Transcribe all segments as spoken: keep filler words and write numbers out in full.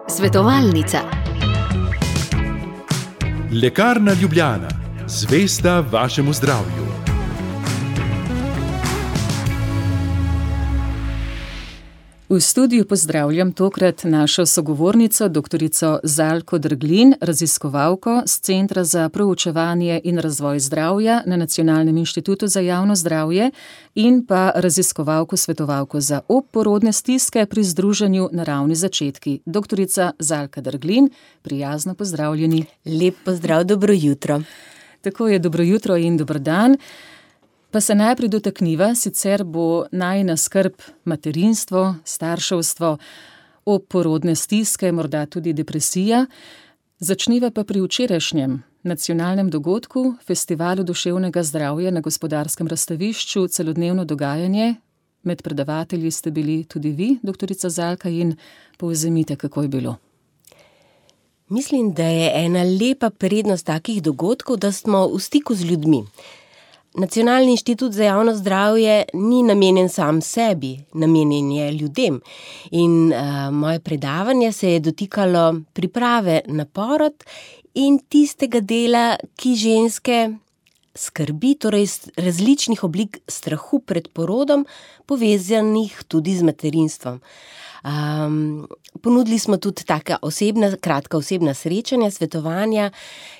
Svetovalnica. Lekarna Ljubljana, zvesta vašemu zdravju. V studiu pozdravljam tokrat našo sogovornico, doktorico Zalko Drglin, raziskovalko z Centra za proučevanje in razvoj zdravja na Nacionalnem inštitutu za javno zdravje in pa raziskovalko svetovalko za obporodne stiske pri Združenju Naravni začetki. Doktorica Zalka Drglin, prijazno pozdravljeni. Lep pozdrav, dobro jutro. Tako je, dobro jutro in dober dan. Pa se najprej dotakniva, sicer bo najina skrb materinstvo, starševstvo, obporodne stiske, morda tudi depresija. Začniva pa pri včerajšnjem nacionalnem dogodku, Festivalu duševnega zdravja na Gospodarskem razstavišču, celodnevno dogajanje. Med predavatelji ste bili tudi vi, doktorica Zalka, in povzemite, kako je bilo. Mislim, da je ena lepa prednost takih dogodkov, da smo v stiku z ljudmi. Nacionalni inštitut za javno zdravje ni namenjen sam sebi, namenjen je ljudem. In uh, moje predavanje se je dotikalo priprave na porod in tistega dela, ki ženske skrbi, torej različnih oblik strahu pred porodom, povezanih tudi z materinstvom. Um, ponudili smo tudi taka osebna, kratka osebna srečanja, svetovanja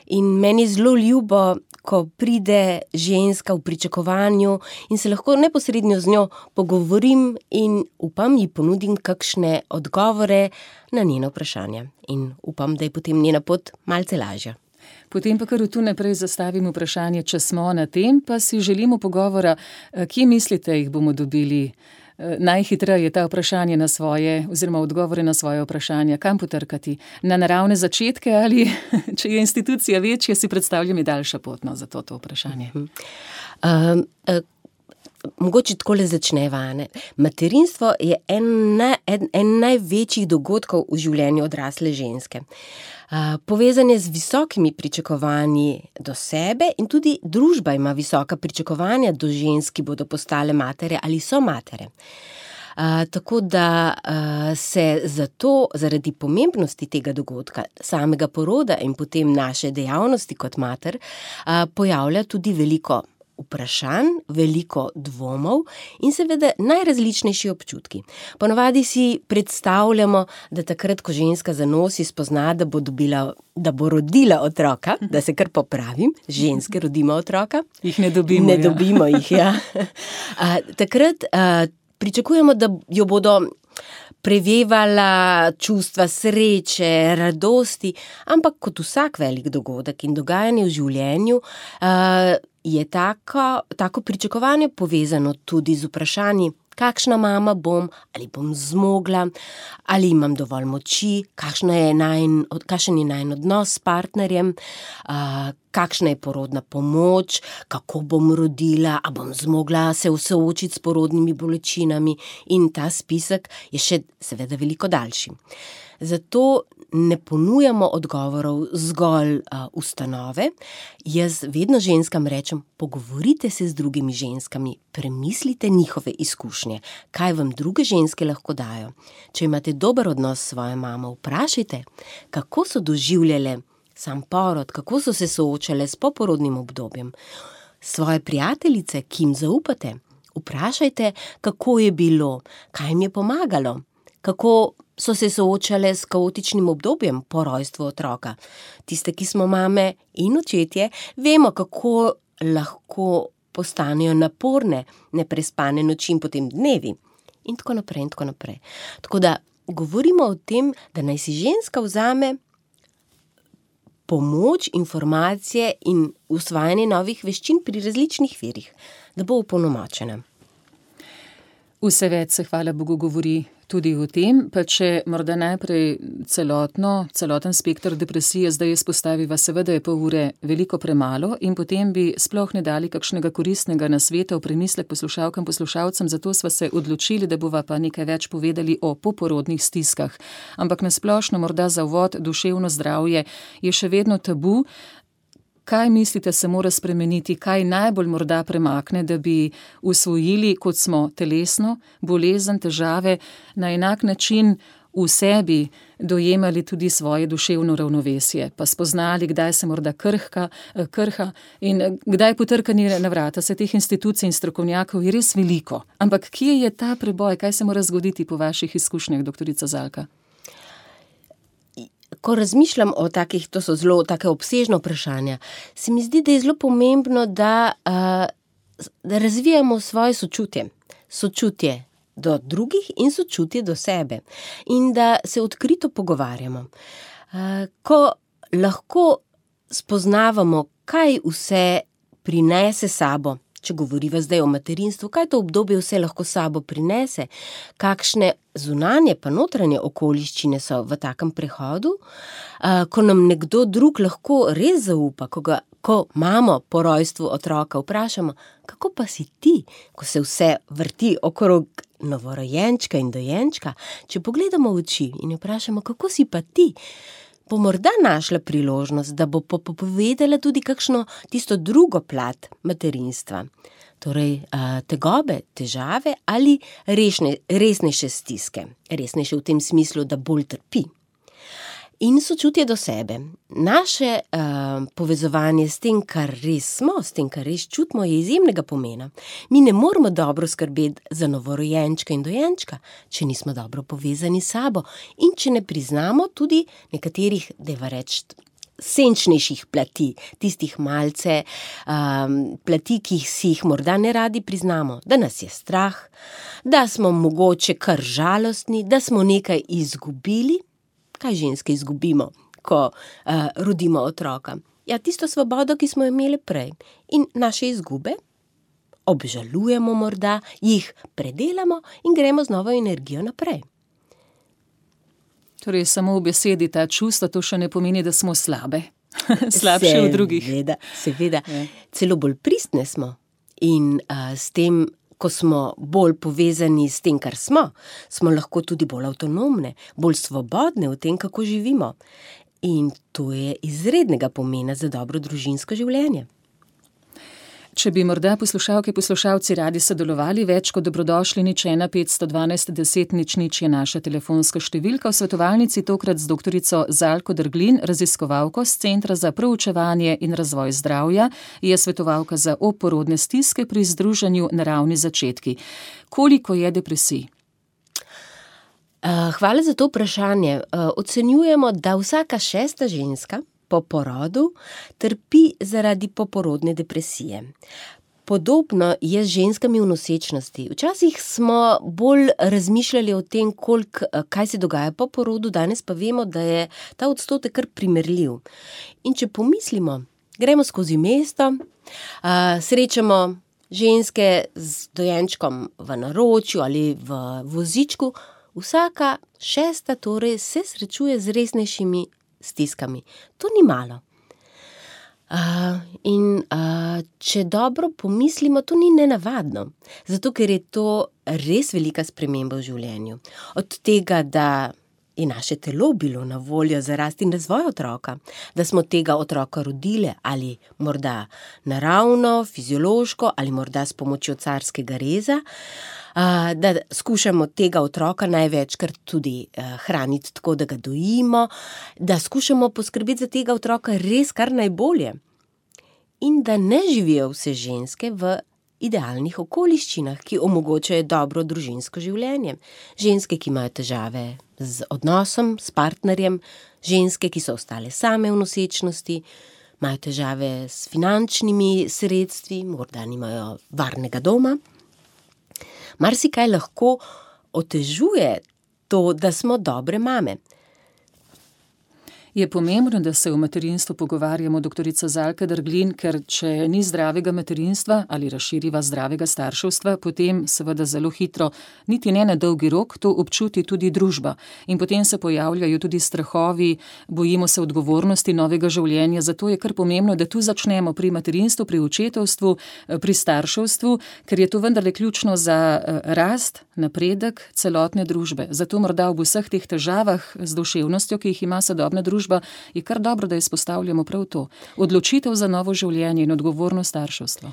in meni je zelo ljubo, ko pride ženska v pričakovanju in se lahko neposredno z njo pogovorim in upam, ji ponudim kakšne odgovore na njeno vprašanje. In upam, da je potem njena pot malce lažja. Potem pa kar tu naprej zastavim vprašanje, če smo na tem, pa si želimo pogovora, kje mislite, jih bomo dobili najhitreje ta vprašanje na svoje, oziroma odgovore na svoje vprašanja, kam potrkati? Na naravne začetke ali, če je institucija večja, si predstavljam, je daljša potno za to, to vprašanje? Uh, uh, mogoče takole začneva, ne. Materinstvo je en, en, en največjih dogodkov v življenju odrasle ženske. Uh, povezan je z visokimi pričakovanji do sebe in tudi družba ima visoka pričakovanja do žensk, ki bodo postale matere ali so matere. Uh, tako da uh, se zato zaradi pomembnosti tega dogodka, samega poroda in potem naše dejavnosti kot mater, uh, pojavlja tudi veliko vprašanj, veliko dvomov in seveda najrazličnejši občutki. Ponavadi si predstavljamo, da takrat, ko ženska zanosi, spozna, da bo dobila, da bo rodila otroka, da se kar popravim, ženske rodimo otroka. Jih ne dobimo, Ne ja. dobimo jih, ja. A, takrat a, pričakujemo, da jo bodo prevevala čustva sreče, radosti, ampak kot vsak velik dogodek in dogajanje v življenju, a, je tako, tako pričakovanje povezano tudi z vprašanji, kakšna mama bom, ali bom zmogla, ali imam dovolj moči, kakšna je najn, kakšen je najin odnos s partnerjem, a, kakšna je porodna pomoč, kako bom rodila, a bom zmogla se soočiti s porodnimi bolečinami, in ta spisek je še seveda veliko daljši. Zato ne ponujamo odgovorov zgolj uh, ustanove. Jaz vedno ženskam rečem, pogovorite se z drugimi ženskami, premislite njihove izkušnje, kaj vam druge ženske lahko dajo. Če imate dober odnos s svojo mamo, vprašajte, kako so doživljale sam porod, kako so se soočale s poporodnim obdobjem. Svoje prijateljice, ki jim zaupate, vprašajte, kako je bilo, kaj jim je pomagalo, kako so se soočale s kaotičnim obdobjem po rojstvu otroka. Tiste, ki smo mame in očetje, vemo, kako lahko postanejo naporne, neprespane noči in potem dnevi. In tako naprej, in tako naprej. Tako da govorimo o tem, da naj si ženska vzame pomoč, informacije in usvajanje novih veščin pri različnih virih, da bo opolnomočena. Vse več se, hvala Bogu, govori tudi o tem, pa če morda najprej celotno, celoten spekter depresije zdaj izpostaviva, seveda je pol ure veliko premalo in potem bi sploh ne dali kakšnega koristnega nasveta v premislek poslušalkam, poslušalcem, zato sva se odločili, da bova pa nekaj več povedali o poporodnih stiskah. Ampak na splošno morda za uvod duševno zdravje je še vedno tabu. kaj mislite se mora spremeniti, kaj najbolj morda premakne, da bi usvojili, kot smo telesno, bolezen, težave, na enak način v sebi dojemali tudi svoje duševno ravnovesje, pa spoznali, kdaj se morda krhka, krha in kdaj potrkanje na vrata. Se teh institucij in strokovnjakov je res veliko. Ampak kje je ta preboj, kaj se mora zgoditi po vaših izkušnjah, doktorica Zalka? Ko razmišljam o takih, to so zelo take obsežno vprašanja, se mi zdi, da je zelo pomembno, da, uh, da razvijamo svoje sočutje. Sočutje do drugih in sočutje do sebe. In da se odkrito pogovarjamo. Uh, ko lahko spoznavamo, kaj vse prinese sabo, če govoriva zdaj o materinstvu, kaj to obdobje vse lahko sabo prinese, kakšne zunanje pa notranje okoliščine so v takem prehodu, uh, ko nam nekdo drug lahko res zaupa, ko ga Ko mamo po rojstvu otroka vprašamo, kako pa si ti, ko se vse vrti okrog novorojenčka in dojenčka, če pogledamo v oči in vprašamo, kako si pa ti, bo morda našla priložnost, da bo povedala tudi kakšno tisto drugo plat materinstva. Torej, tegobe, težave ali resne, resnejše stiske. Resnejše v tem smislu, da bolj trpi. In sočutje do sebe. Naše uh, povezovanje s tem, kar res smo, s tem, kar res čutimo, je izjemnega pomena. Mi ne moramo dobro skrbeti za novorojenčka in dojenčka, če nismo dobro povezani s sabo in če ne priznamo tudi nekaterih, dajva reči, senčnejših plati, tistih malce um, plati, ki si jih morda ne radi priznamo, da nas je strah, da smo mogoče kar žalostni, da smo nekaj izgubili. Kaj ženske izgubimo, ko uh, rodimo otroka? Ja, tisto svobodo, ki smo imeli prej. In naše izgube obžalujemo morda, jih predelamo in gremo z novo energijo naprej. Torej, samo v besedi ta čustva, to še ne pomeni, da smo slabe. Slabše od drugih. Seveda, seveda. Celo bolj pristne smo. In uh, s tem, ko smo bolj povezani s tem, kar smo, smo lahko tudi bolj avtonomne, bolj svobodne v tem, kako živimo. In to je izrednega pomena za dobro družinsko življenje. Če bi morda poslušalke, poslušalci radi sodelovali, več kot dobrodošli, nič ena petsto dvanajst deset nič nič je naša telefonska številka. V svetovalnici tokrat z doktorico Zalko Derglin, raziskovalko z Centra za proučevanje in razvoj zdravja, je svetovalka za oporodne stiske pri združenju Naravni začetki. Koliko je depresij? Hvala za to vprašanje. Ocenjujemo, da vsaka šesta ženska po porodu trpi zaradi poporodne depresije. Podobno je z ženskami v nosečnosti. Včasih smo bolj razmišljali o tem, koliko, kaj se dogaja po porodu, danes pa vemo, da je ta odstotek kar primerljiv. In če pomislimo, gremo skozi mesto, srečamo ženske z dojenčkom v naročju ali v vozičku, vsaka šesta torej se srečuje z resnejšimi stiskami. To ni malo. Uh, in uh, če dobro pomislimo, to ni nenavadno. Zato, ker je to res velika sprememba v življenju. Od tega, da je naše telo bilo na voljo za rast in razvoj otroka, da smo tega otroka rodile ali morda naravno, fiziološko ali morda s pomočjo carskega reza, da skušamo tega otroka največkrat tudi hraniti tako, da ga dojimo, da skušamo poskrbeti za tega otroka res kar najbolje. In da ne živijo vse ženske v idealnih okoliščinah, ki omogočajo dobro družinsko življenje. Ženske, ki imajo težave z odnosom, s partnerjem, ženske, ki so ostale same v nosečnosti, imajo težave s finančnimi sredstvi, morda nimajo varnega doma. Marsikaj lahko otežuje to, da smo dobre mame. Je pomembno, da se o materinstvu pogovarjamo, doktorica Zalka Derglin, ker če ni zdravega materinstva ali razširiva zdravega starševstva, potem seveda zelo hitro, niti ne na dolgi rok, to občuti tudi družba. In potem se pojavljajo tudi strahovi, bojimo se odgovornosti novega življenja, zato je kar pomembno, da tu začnemo pri materinstvu, pri očetovstvu, pri starševstvu, ker je to vendarle ključno za rast, napredek celotne družbe. Zato morda ob vseh teh težavah z duševnostjo, ki jih ima sodobna družba, družba, je kar dobro, da izpostavljamo prav to. Odločitev za novo življenje in odgovorno starševstvo.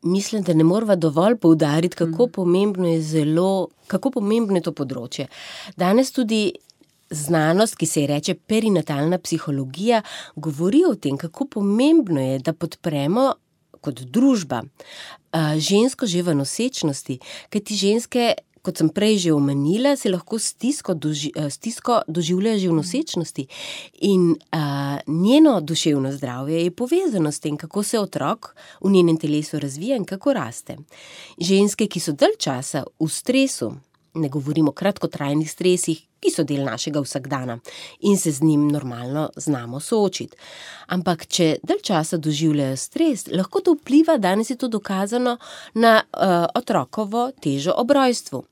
Mislim, da ne morava dovolj poudariti, kako pomembno je zelo, kako pomembno je to področje. Danes tudi znanost, ki se ji reče perinatalna psihologija, govori o tem, kako pomembno je, da podpremo kot družba žensko že v nosečnosti, kajti ženske, kot sem prej že omenila, se lahko stisko, doži, stisko doživljajo že v nosečnosti in a, njeno duševno zdravje je povezano s tem, kako se otrok v njenem telesu razvija in kako raste. Ženske, ki so dalj časa v stresu, ne govorimo o kratkotrajnih stresih, ki so del našega vsakdana in se z njim normalno znamo soočiti. Ampak, če dalj časa doživljajo stres, lahko to vpliva, danes je to dokazano, na uh, otrokovo težo ob rojstvu.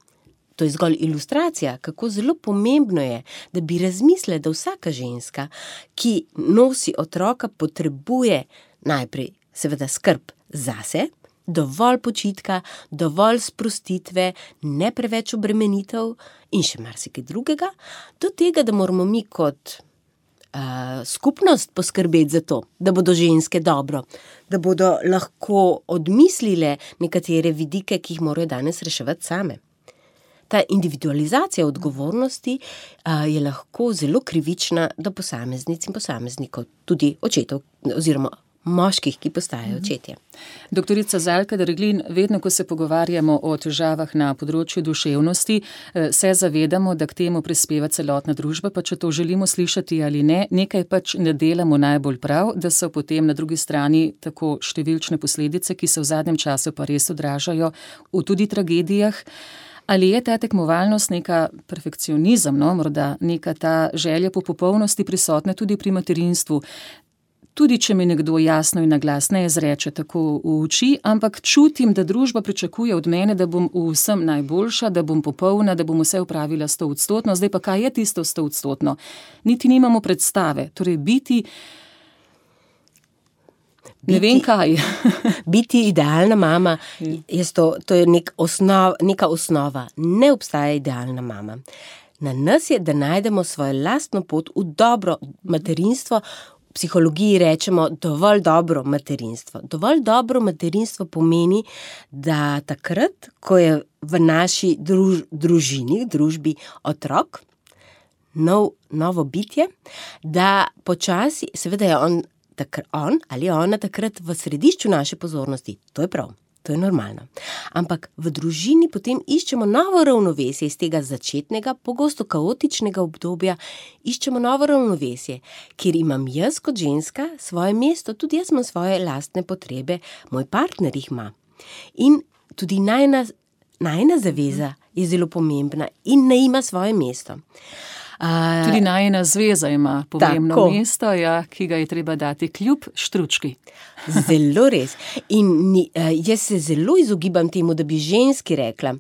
To je zgolj ilustracija, kako zelo pomembno je, da bi razmislili, da vsaka ženska, ki nosi otroka, potrebuje najprej seveda skrb zase, dovolj počitka, dovolj sprostitve, ne preveč obremenitev in še marsikaj drugega, do tega, da moramo mi kot uh, skupnost poskrbeti za to, da bodo ženske dobro, da bodo lahko odmislile nekatere vidike, ki jih morajo danes reševati same. Ta individualizacija odgovornosti uh, je lahko zelo krivična do posameznic in posameznikov, tudi očetov oziroma moških, ki postajajo očetje. Doktorica Zalka Derglin, vedno, ko se pogovarjamo o težavah na področju duševnosti, se zavedamo, da k temu prispeva celotna družba, pa če to želimo slišati ali ne, nekaj pač ne delamo najbolj prav, da so potem na drugi strani tako številčne posledice, ki se v zadnjem času pa res odražajo v tudi tragedijah. Ali je ta tekmovalnost neka perfekcionizem, no, morda neka ta želja po popolnosti prisotna tudi pri materinstvu? Tudi, če mi nekdo jasno in naglas ne izreče tako v oči, ampak čutim, da družba pričakuje od mene, da bom v vsem najboljša, da bom popolna, da bom vse upravila stoodstotno. Zdaj pa kaj je tisto stoodstotno? Niti nimamo predstave. Torej biti, biti ne vem kaj. Biti idealna mama, je to, to je nek osnov, neka osnova. Ne obstaja idealna mama. Na nas je, da najdemo svojo lastno pot v dobro materinstvo. V psihologiji rečemo dovolj dobro materinstvo. Dovolj dobro materinstvo pomeni, da takrat, ko je v naši druž, družini, družbi otrok, nov, novo bitje, da počasi, seveda je on, takr, on ali ona takrat v središču naše pozornosti. To je prav. To je normalno. Ampak v družini potem iščemo novo ravnovesje iz tega začetnega, pogosto kaotičnega obdobja, iščemo novo ravnovesje, kjer imam jaz kot ženska svoje mesto, tudi jaz imam svoje lastne potrebe, moj partner jih ima. In tudi najna, najna zaveza je zelo pomembna in ne ima svoje mesto. Uh, tudi najina zveza ima pomembno tako. mesto, ja, ki ga je treba dati kljub štručki. Zelo res. In ni, jaz se zelo izogibam temu, da bi ženski rekla,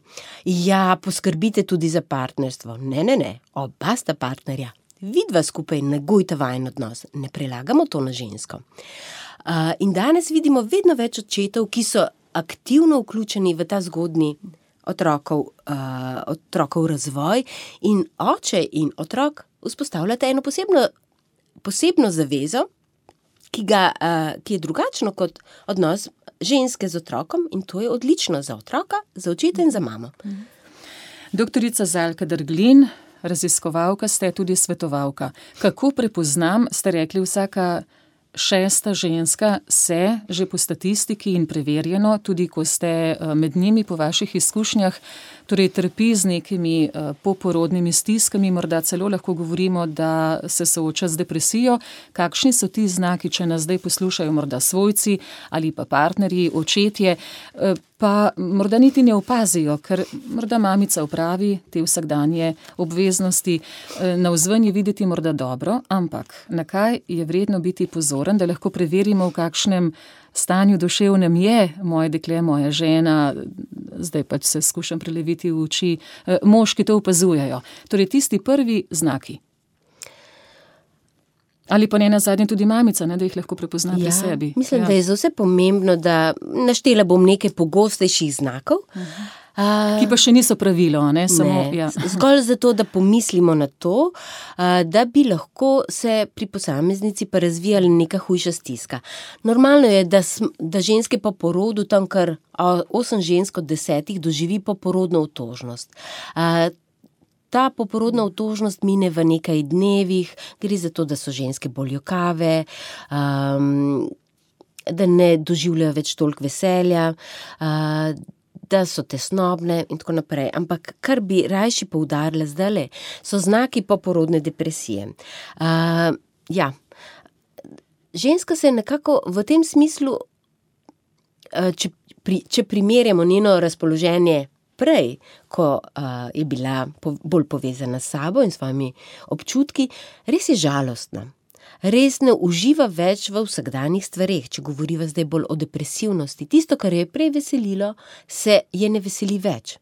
ja, poskrbite tudi za partnerstvo. Ne, ne, ne, oba sta partnerja. Vidva skupaj negujta vajen odnos. Ne prelagamo to na žensko. Uh, in danes vidimo vedno več očetov, ki so aktivno vključeni v ta zgodnji Otrokov, uh, otrokov razvoj in oče in otrok vzpostavljate eno posebno, posebno zavezo, ki, ga, uh, ki je drugačno kot odnos ženske z otrokom in to je odlično za otroka, za očeta in za mamo. Doktorica Zalka Derglin, raziskovalka ste, tudi svetovalka. Kako prepoznam, ste rekli, vsaka šesta ženska se že po statistiki in preverjeno, tudi ko ste med njimi po vaših izkušnjah, torej trpi z nekimi poporodnimi stiskami, morda celo lahko govorimo, da se sooča z depresijo. Kakšni so ti znaki, če nas zdaj poslušajo morda svojci ali pa partnerji, očetje, pa morda niti ne opazijo, ker morda mamica opravi te vsakdanje obveznosti, navzven je videti morda dobro, ampak na kaj je vredno biti pozoren, da lahko preverimo, v kakšnem stanju duševnem je moje dekle, moja žena, zdaj pač se skušam preleviti v oči, moški to opazujejo. Torej tisti prvi znaki. Ali pa ne nazadnje tudi mamica, ne, da jih lahko prepozna pri ja, sebi. Mislim, ja. da je za vse pomembno, da naštela bom nekaj pogostejših znakov. Uh-huh. Uh, ki pa še niso pravilo, ne? Samo, ne, ja. Zgolj zato, da pomislimo na to, da bi lahko se pri posameznici pa razvijala neka hujša stiska. Normalno je, da, sm, da ženske po porodu, tam kar osem žensk od desetih doživi poporodno otožnost. Uh, Ta poporodna otožnost mine v nekaj dnevih, gre za to, da so ženske bolj jokave, um, da ne doživljajo več toliko veselja, uh, da so tesnobne in tako naprej. Ampak kar bi rajši poudarila zdajle, so znaki poporodne depresije. Uh, ja, ženska se nekako v tem smislu, uh, če, pri, če primerjamo njeno razpoloženje prej, ko uh, je bila po, bolj povezana s sabo in svojimi občutki, res je žalostna. Res ne uživa več v vsakdanjih stvareh, če govoriva zdaj bolj o depresivnosti. Tisto, kar je prej veselilo, se je ne veseli več.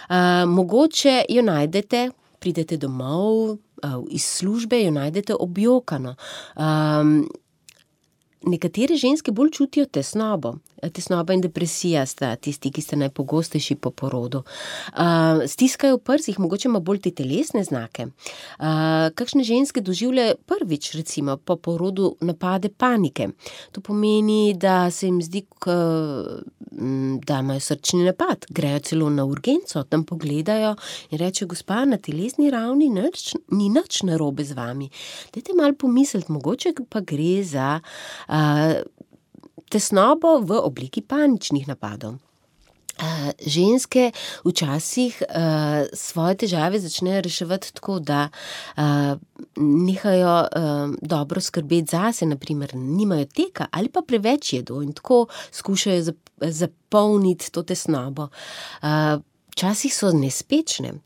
Uh, mogoče jo najdete, pridete domov, uh, iz službe jo najdete objokano. Um, Nekatere ženske bolj čutijo tesnobo. Tesnoba in depresija sta tisti, ki sta najpogostejši po porodu. Uh, stiskajo v prsih, mogoče ima bolj te telesne znake. Uh, kakšne ženske doživljajo prvič, recimo, po porodu napade panike. To pomeni, da se jim zdi, k, da imajo srčni napad. Grejo celo na urgenco, tam pogledajo in rečejo, gospa, na telesni ravni nič, ni nič narobe z vami. Dajte malo pomisliti, mogoče pa gre za uh, tesnobo v obliki paničnih napadov. Uh, ženske včasih uh, svoje težave začnejo reševati tako, da uh, nehajo uh, dobro skrbeti zase, naprimer nimajo teka ali pa preveč jedo in tako skušajo zap, zapolniti to tesnobo. Uh, včasih so nespečne.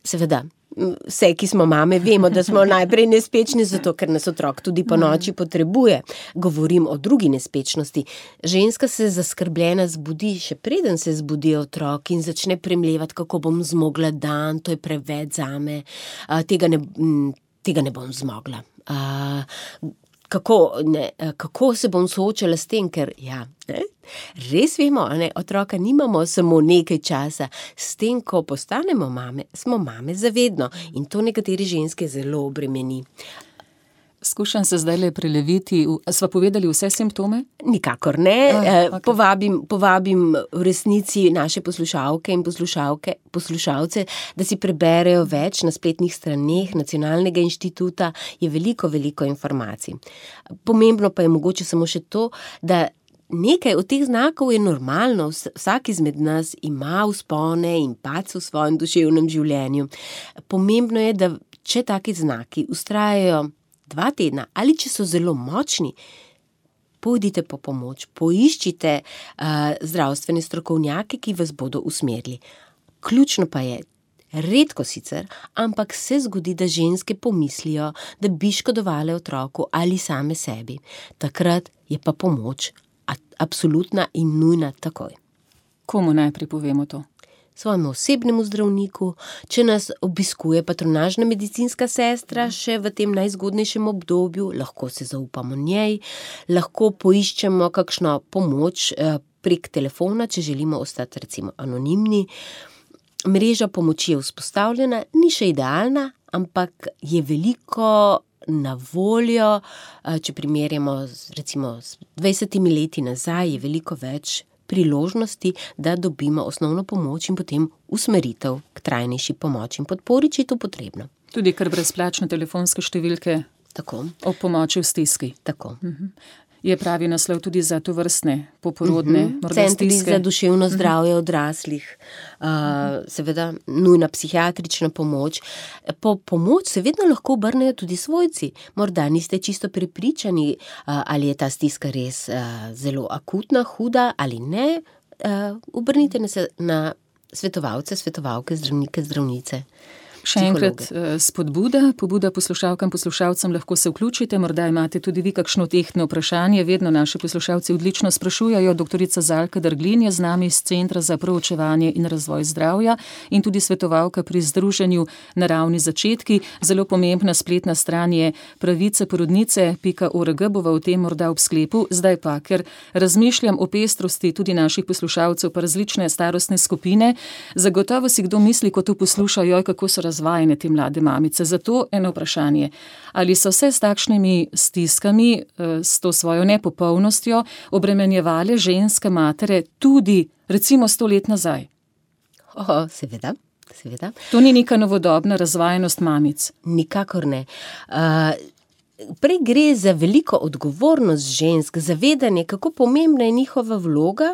Seveda, vse, ki smo mame, vemo, da smo najprej nespečni, zato ker nas otrok tudi po noči potrebuje. Govorim o drugi nespečnosti. Ženska se zaskrbljena zbudi, še preden se zbudi otrok in začne premlevati, kako bom zmogla dan, to je preveč zame, uh, tega, ne, tega ne bom zmogla. Uh, kako, ne, kako se bom soočala s tem, ker ja, ne? Res vemo, ne? Otroka nimamo samo nekaj časa, s tem, ko postanemo mame, smo mame zavedno in to nekatere ženske zelo obremeni. Skušam se zdajle preleviti. Sva povedali vse simptome? Nikakor ne. Ah, okay. povabim, povabim v resnici naše poslušalke in poslušalke, poslušalce, da si preberejo več na spletnih straneh Nacionalnega inštituta. Je veliko, veliko informacij. Pomembno pa je mogoče samo še to, da nekaj od teh znakov je normalno. Vsak izmed nas ima vzpone in padce v svojem duševnem življenju. Pomembno je, da če taki znaki vztrajajo dva tedna, ali če so zelo močni, pojdite po pomoč, poiščite uh, zdravstvene strokovnjake, ki vas bodo usmerili. Ključno pa je, redko sicer, ampak se zgodi, da ženske pomislijo, da bi škodovale otroku ali same sebi. Takrat je pa pomoč absolutna in nujna takoj. Komu najprej povemo to? Svojemu osebnemu zdravniku, če nas obiskuje patronažna medicinska sestra še v tem najzgodnejšem obdobju, lahko se zaupamo njej, lahko poiščemo kakšno pomoč prek telefona, če želimo ostati recimo anonimni. Mreža pomoči je vzpostavljena, ni še idealna, ampak je veliko na voljo, če primerjamo recimo s dvajsetimi leti nazaj, je veliko več priložnosti, da dobimo osnovno pomoč in potem usmeritev k trajnejši pomoči in podpori, če je to potrebno. Tudi kar brezplačne telefonske številke. Tako. O pomoči v stiski. Tako. Uh-huh. Je pravi naslov tudi za tovrstne poporodne uh-huh. morda Centri stiske. za duševno zdravje uh-huh. odraslih, uh, seveda nujna psihiatrična pomoč. Po pomoč se vedno lahko obrnejo tudi svojci. Morda niste čisto prepričani, uh, ali je ta stiska res uh, zelo akutna, huda ali ne. Uh, obrnite se na svetovalce, svetovalke, zdravnike, zdravnice. Še enkrat spodbuda, pobuda poslušalkam, poslušalcem, lahko se vključite, morda imate tudi vi kakšno tehtno vprašanje, vedno naši poslušalci odlično sprašujajo. Doktorica Zalka Drglin je z nami iz Centra za proučevanje in razvoj zdravja in tudi svetovalka pri združenju Naravni začetki. Zelo pomembna spletna stran je praviceporodnice pika org, bova o tem morda ob sklepu. Zdaj pa, ker razmišljam o pestrosti tudi naših poslušalcev pa različne starostne skupine, zagotovo si kdo misli, ko to posluša, joj, kako so razvajene te mlade mamice. Zato eno vprašanje. Ali so se s takšnimi stiskami, s to svojo nepopolnostjo obremenjevale ženske matere tudi recimo sto let nazaj? O, seveda, seveda. To ni neka novodobna razvajenost mamic? Nikakor ne. Uh, prej gre za veliko odgovornost žensk, zavedanje, kako pomembna je njihova vloga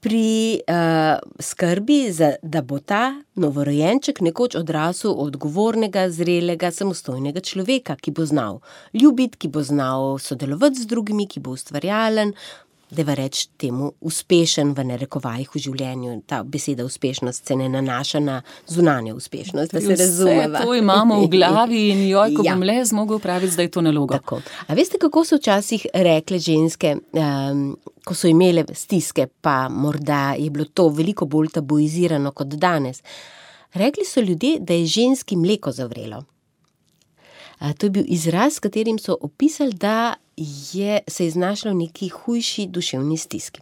pri uh, skrbi, za, da bo ta novorojenček nekoč odrasel odgovornega, zrelega, samostojnega človeka, ki bo znal ljubiti, ki bo znal sodelovati z drugimi, ki bo ustvarjalen, deva reči temu uspešen v narekovajih v življenju. Ta beseda uspešnost se ne nanaša na zunanjo uspešnost, da se razumeva. Vse to imamo v glavi in joj, ko ja. bom le zmogel praviti, da je to naloga. Tako. A veste, kako so včasih rekle ženske, um, ko so imele stiske, pa morda je bilo to veliko bolj tabuizirano kot danes. Rekli so ljudje, da je ženski mleko zavrelo. A, to je bil izraz, s katerim so opisali, da je se je znašla v neki hujši duševni stiski.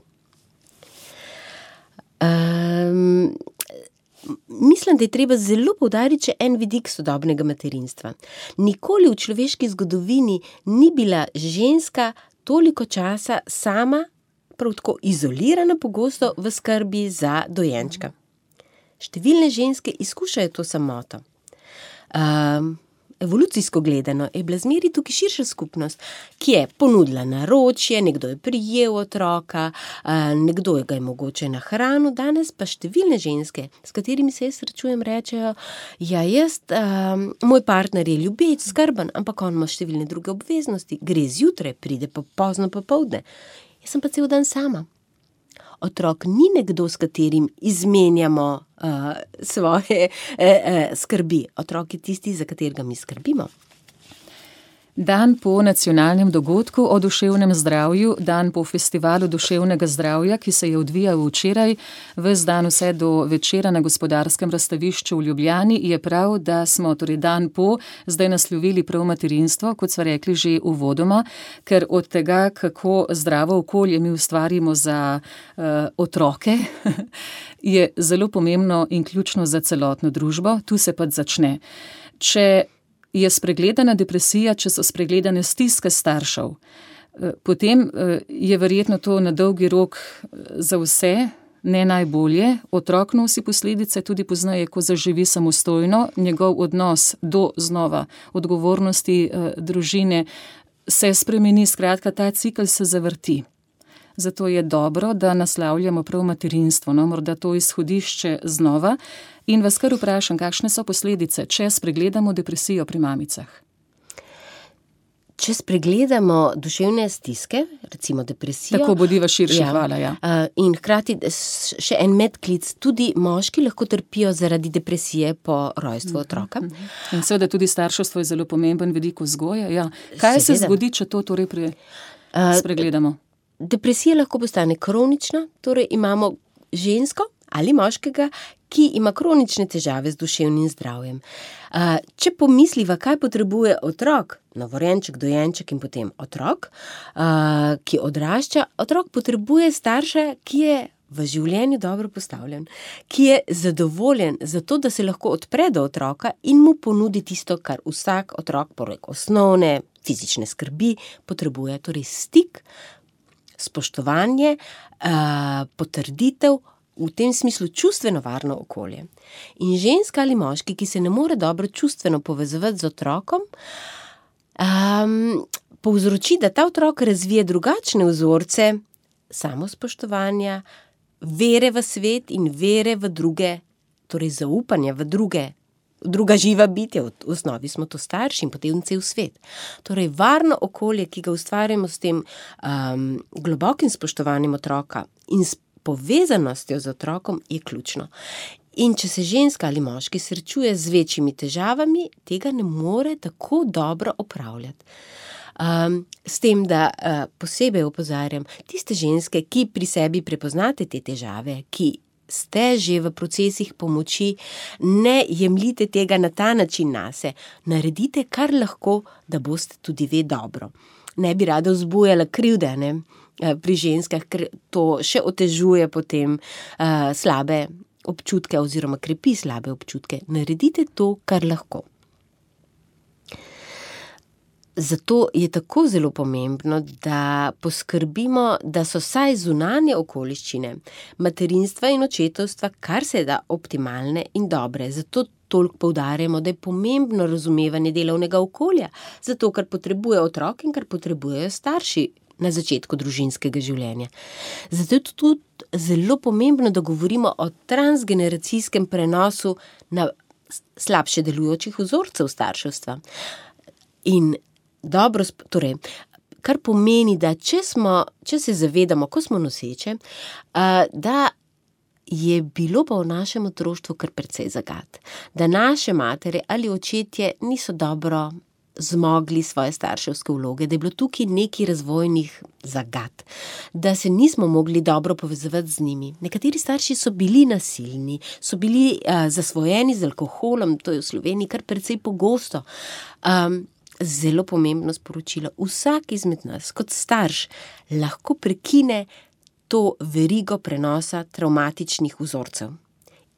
Um, mislim, da je treba zelo poudariti še en vidik sodobnega materinstva. Nikoli v človeški zgodovini ni bila ženska toliko časa sama, prav tako izolirana pogosto v skrbi za dojenčka. Številne ženske izkušajo to samoto. Um, Evolucijsko gledano je bila zmeri tukaj širša skupnost, ki je ponudila naročje, nekdo je prijel otroka, nekdo ga je mogoče nahranil, danes pa številne ženske, s katerimi se jaz srečujem, rečejo, ja, jaz, um, moj partner je ljubeč, skrben, ampak on ima številne druge obveznosti, gre zjutraj, pride pa pozno popoldne. Jaz sem pa cel dan sama. Otrok ni nekdo, s katerim izmenjamo uh, svoje uh, uh, skrbi. Otrok je tisti, za katerega mi skrbimo. Dan po nacionalnem dogodku o duševnem zdravju, dan po festivalu duševnega zdravja, ki se je odvijal včeraj, ves dan vse do večera na Gospodarskem razstavišču v Ljubljani, je prav, da smo torej dan po zdaj naslovili prav materinstvo, kot smo rekli že uvodoma, ker od tega, kako zdravo okolje mi ustvarimo za uh, otroke, je zelo pomembno in ključno za celotno družbo. Tu se pa začne. Če je spregledana depresija, če so spregledane stiske staršev, potem je verjetno to na dolgi rok za vse ne najbolje. Otrok nosi posledice tudi poznaje, ko zaživi samostojno, njegov odnos do znova odgovornosti družine se spremeni, skratka ta cikel se zavrti. Zato je dobro, da naslavljamo prav materinstvo, no, morda to izhodišče znova. In vas kar vprašam, kakšne so posledice, če spregledamo depresijo pri mamicah? Če spregledamo duševne stiske, recimo depresijo... Tako bodiva širše, ja, hvala, ja. In hkrati še en medklic, tudi moški lahko trpijo zaradi depresije po rojstvu otroka. In seveda tudi starševstvo je zelo pomemben vidik vzgoje, ja. Kaj seveda se zgodi, če to torej pre... spregledamo? Depresija lahko postane kronična, torej imamo žensko ali moškega, ki ima kronične težave z duševnim zdravjem. Če pomisliva, kaj potrebuje otrok, novorojenček, dojenček in potem otrok, ki odrašča, otrok potrebuje starša, ki je v življenju dobro postavljen, ki je zadovoljen za to, da se lahko odpre do otroka in mu ponudi tisto, kar vsak otrok, poleg osnovne fizične skrbi, potrebuje, torej stik, spoštovanje, potrditev, v tem smislu čustveno varno okolje. In ženska ali moški, ki se ne more dobro čustveno povezovati z otrokom, um, povzroči, da ta otrok razvije drugačne vzorce samospoštovanja, vere v svet in vere v druge, torej zaupanja v druge, druga živa bitja, v osnovi smo to starši in potem cel svet. Torej varno okolje, ki ga ustvarjamo s tem um, globokim spoštovanjem otroka in s povezanostjo z otrokom, je ključno. In če se ženska ali moški srečuje z večjimi težavami, tega ne more tako dobro opravljati. Um, s tem, da uh, posebej opozarjam tiste ženske, ki pri sebi prepoznate te težave, ki ste že v procesih pomoči, ne jemljite tega na ta način nase, naredite kar lahko, da boste tudi ve dobro. Ne bi rada vzbujala krivde, ne, pri ženskah, ker to še otežuje potem uh, slabe občutke oziroma krepi slabe občutke. Naredite to, kar lahko. Zato je tako zelo pomembno, da poskrbimo, da so vsaj zunanje okoliščine materinstva in očetovstva kar se da optimalne in dobre. Zato toliko poudarjamo, da je pomembno razumevanje delovnega okolja, zato ker potrebuje otrok in ker potrebujejo starši na začetku družinskega življenja. Zato je tudi zelo pomembno, da govorimo o transgeneracijskem prenosu na slabše delujočih vzorcev starševstva. In dobro, torej, kar pomeni, da če smo, če se zavedamo, ko smo noseče, da je bilo pa v našem otroštvu kar precej zagat. Da naše matere ali očetje niso dobro zmogli svoje starševske vloge, da je bilo tukaj nekaj razvojnih zagat, da se nismo mogli dobro povezovati z njimi. Nekateri starši so bili nasilni, so bili uh, zasvojeni z alkoholom, to je v Sloveniji kar precej pogosto. Um, zelo pomembno sporočilo. Vsak izmed nas kot starš lahko prekine to verigo prenosa travmatičnih vzorcev.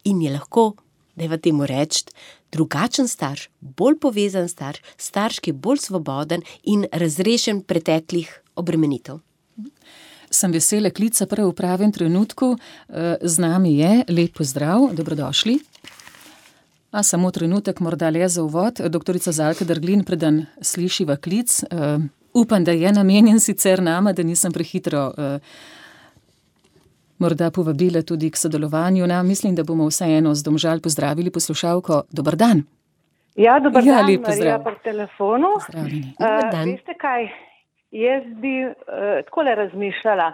In je lahko, dajva temu reči, drugačen starš, bolj povezan starš, starš, ki je bolj svoboden in razrešen preteklih obremenitev. Sem vesela klica prav v pravem trenutku. Z nami je, lep pozdrav, dobrodošli. A samo trenutek, morda le za uvod. Doktorica Zalka Derglin, preden slišiva klic. Uh, upam, da je namenjen sicer nama, da nisem prehitro uh, morda povabila tudi k sodelovanju. Na, mislim, da bomo vseeno z Domžal pozdravili poslušalko. Dobar dan. Ja, dobar ja, dan, Marija pri telefonu. Pozdravljeni. Dobar dan. Uh, veste kaj, jaz bi uh, takole razmišljala.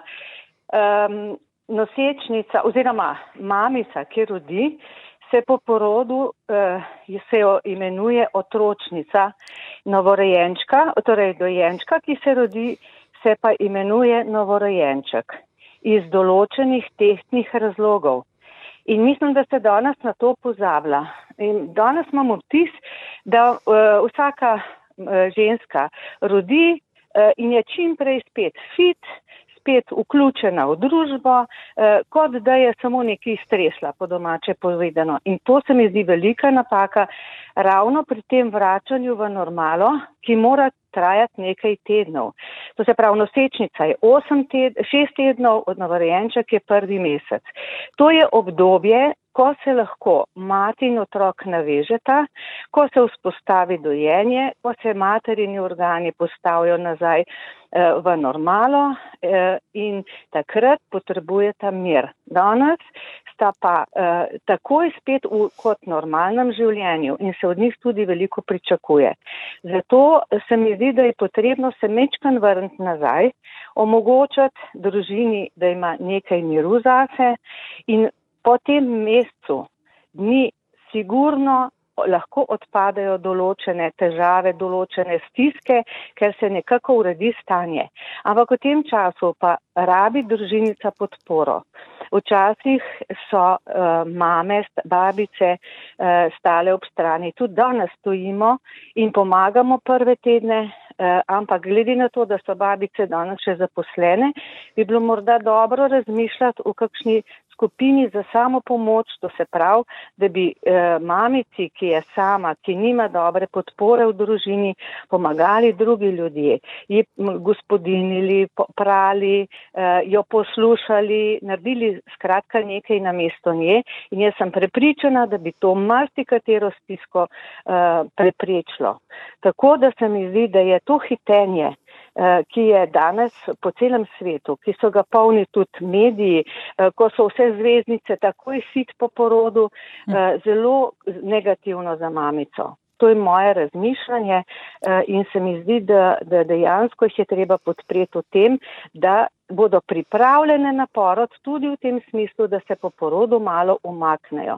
Um, nosečnica oziroma mamica, ki rodi, se po porodu uh, se jo imenuje otročnica, novorojenčka, torej dojenčka, ki se rodi, se pa imenuje novorojenček iz določenih tehtnih razlogov. In mislim, da se danes na to pozablja. In danes imamo vtis, da uh, vsaka uh, ženska rodi uh, in je čim prej spet fit, spet vključena v družbo, eh, kot da je samo nekaj stresla, po domače povedano. In to se mi zdi velika napaka ravno pri tem vračanju v normalo, ki mora trajati nekaj tednov. To se pravi, nosečnica je osem ted, šest tednov, od novorojenček je prvi mesec. To je obdobje, ko se lahko mati in otrok navežeta, ko se vzpostavi dojenje, ko se materini organi postavijo nazaj eh, v normalo eh, in takrat potrebujeta mir. Danes sta pa eh, takoj spet v kot normalnem življenju in se od njih tudi veliko pričakuje. Zato se mi zdi, da je potrebno se mečkan vrniti nazaj, omogočati družini, da ima nekaj miru zase in po tem mesecu dni sigurno lahko odpadajo določene težave, določene stiske, ker se nekako uredi stanje. Ampak v tem času pa rabi družinica podporo. Včasih so uh, mame, babice uh, stale ob strani. Tudi danes stojimo in pomagamo prve tedne, uh, ampak glede na to, da so babice danes še zaposlene, bi bilo morda dobro razmišljati o kakšni skupini za samo pomoč, to se pravi, da bi eh, mamici, ki je sama, ki nima dobre podpore v družini, pomagali drugi ljudje, ji gospodinili, prali, eh, jo poslušali, naredili skratka nekaj namesto nje in jaz sem prepričana, da bi to marsikatero stisko eh, preprečilo. Tako da se mi zdi, da je to hitenje, ki je danes po celem svetu, ki so ga polni tudi mediji, ko so vse zvezdnice takoj sit po porodu, zelo negativno za mamico. To je moje razmišljanje in se mi zdi, da, da dejansko jih je treba podpreti v tem, da bodo pripravljene na porod tudi v tem smislu, da se po porodu malo umaknejo.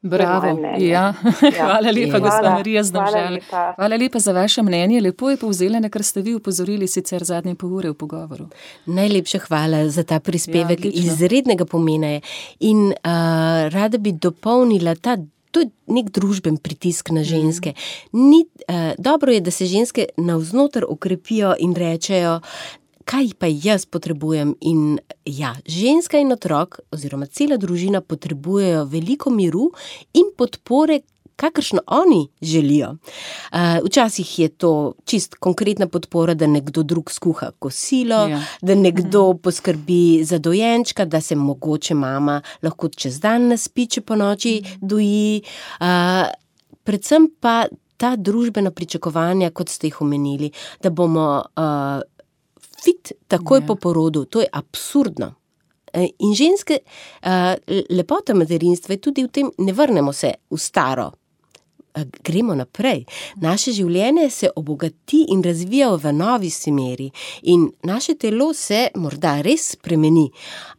Bravo. Ja. Hvala lepa, gospa Marija z Domžal. Hvala, hvala lepa za vaše mnenje. Lepo je povzela, na kar ste vi upozorili sicer zadnje pol ure v pogovoru. Najlepša hvala za ta prispevek, ja, izrednega pomena je. In uh, rada bi dopolnila ta, to je nek družben pritisk na ženske. Ni, uh, dobro je, da se ženske navznoter okrepijo in rečejo, kaj pa jaz potrebujem. In ja, ženska in otrok oziroma cela družina potrebujejo veliko miru in podpore, kakršno oni želijo. Uh, včasih je to čist konkretna podpora, da nekdo drug skuha kosilo, ja. Da nekdo poskrbi za dojenčka, da se mogoče mama lahko čez dan naspi, če po noči doji. Uh, predvsem pa ta družbena pričakovanja, kot ste jih omenili, da bomo uh, fit takoj yeah. po porodu, to je absurdno. In ženske, lepota materinstva je tudi v tem, ne vrnemo se v staro, gremo naprej. Naše življenje se obogati in razvija v novi smeri in naše telo se morda res spremeni,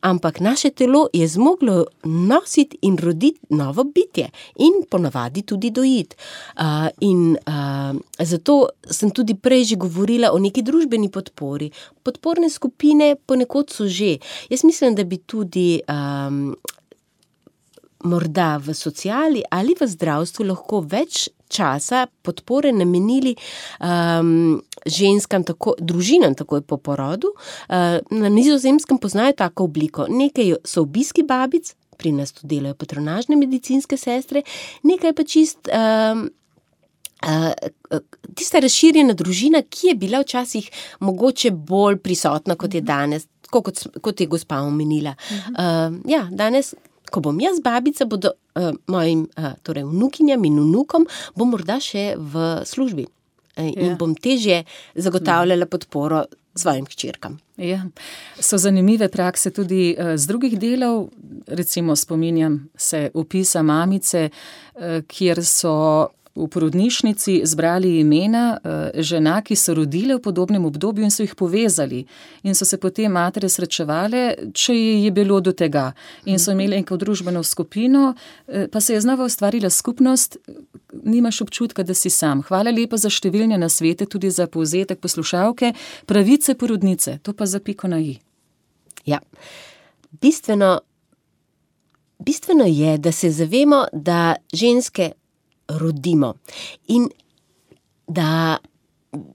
ampak naše telo je zmoglo nositi in roditi novo bitje in ponavadi tudi dojiti. Uh, in uh, zato sem tudi prej že govorila o neki družbeni podpori. Podporne skupine ponekod so že. Jaz mislim, da bi tudi um, morda v sociali ali v zdravstvu lahko več časa podpore namenili um, ženskam, tako, družinam takoj po porodu. Uh, na Nizozemskem poznajo tako obliko. Nekaj so obiski babic, pri nas tu delajo patronažne medicinske sestre, nekaj pa čist um, uh, tista razširjena družina, ki je bila včasih mogoče bolj prisotna, kot je danes, kot, kot je gospa omenila. Uh, ja, danes ko bom jaz babica, bodo uh, mojim uh, torej vnukinjam in vnukom, bom morda še v službi uh, in ja. Bom težje zagotavljala podporo svojim hčerkam. Ja. So zanimive prakse tudi uh, z drugih delov, recimo spominjam se opisa mamice, uh, kjer so v porodnišnici zbrali imena žena, ki so rodile v podobnem obdobju in so jih povezali. In so se potem matere srečevale, če je bilo do tega. In so imeli neko družbeno skupino, pa se je znova ustvarila skupnost, nimaš občutka, da si sam. Hvala lepa za številne nasvete, tudi za povzetek poslušalke. Pravice porodnice, to pa za piko na i. Ja, bistveno, bistveno je, da se zavemo, da ženske rodimo in da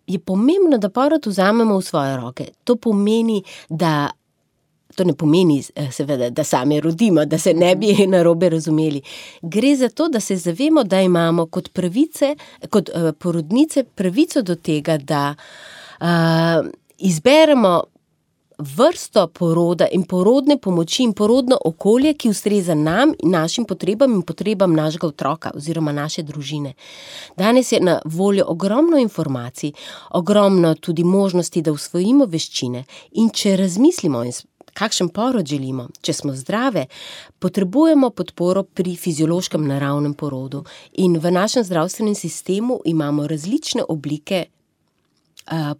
je pomembno, da porod vzamemo v svoje roke. To pomeni, da to ne pomeni seveda, da sami rodimo, da se ne bi narobe razumeli. Gre za to, da se zavemo, da imamo kot pravice, kot uh, porodnice pravico do tega, da uh, izberemo vrsto poroda in porodne pomoči in porodno okolje, ki ustreza nam in našim potrebam in potrebam našega otroka oziroma naše družine. Danes je na voljo ogromno informacij, ogromno tudi možnosti, da usvojimo veščine in če razmislimo, kakšen porod želimo, če smo zdrave, potrebujemo podporo pri fiziološkem naravnem porodu in v našem zdravstvenem sistemu imamo različne oblike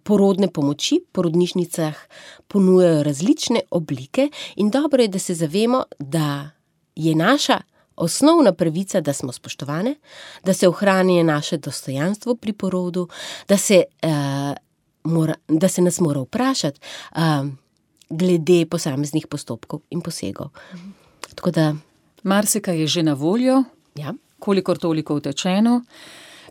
porodne pomoči, porodnišnicah ponujajo različne oblike in dobro je, da se zavemo, da je naša osnovna pravica, da smo spoštovane, da se ohrani naše dostojanstvo pri porodu, da se, uh, mora, da se nas mora vprašati uh, glede posameznih postopkov in posegov. Tako da marsikaj je že na voljo, ja. Kolikor toliko utečeno.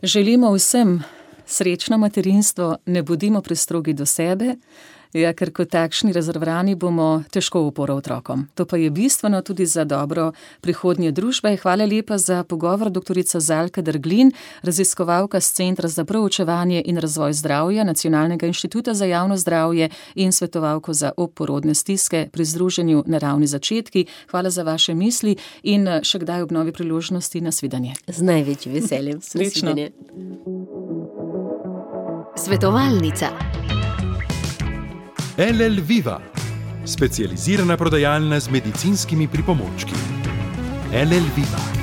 Želimo vsem srečno materinstvo, ne bodimo prestrogi do sebe, ja, ker kot takšni razvrani bomo težko uporo otrokom. To pa je bistveno tudi za dobro prihodnje družbe. Hvala lepa za pogovor, doktorica Zalka Derglin, raziskovalka z Centra za proučevanje in razvoj zdravja Nacionalnega inštituta za javno zdravje in svetovalko za obporodne stiske pri združenju Naravni začetki. Hvala za vaše misli in še kdaj ob novi priložnosti. Nasvidenje. Z največjim veseljem. Srečno. Svetovalnica. L L Viva, specializirana prodajalna z medicinskimi pripomočki. L L Viva.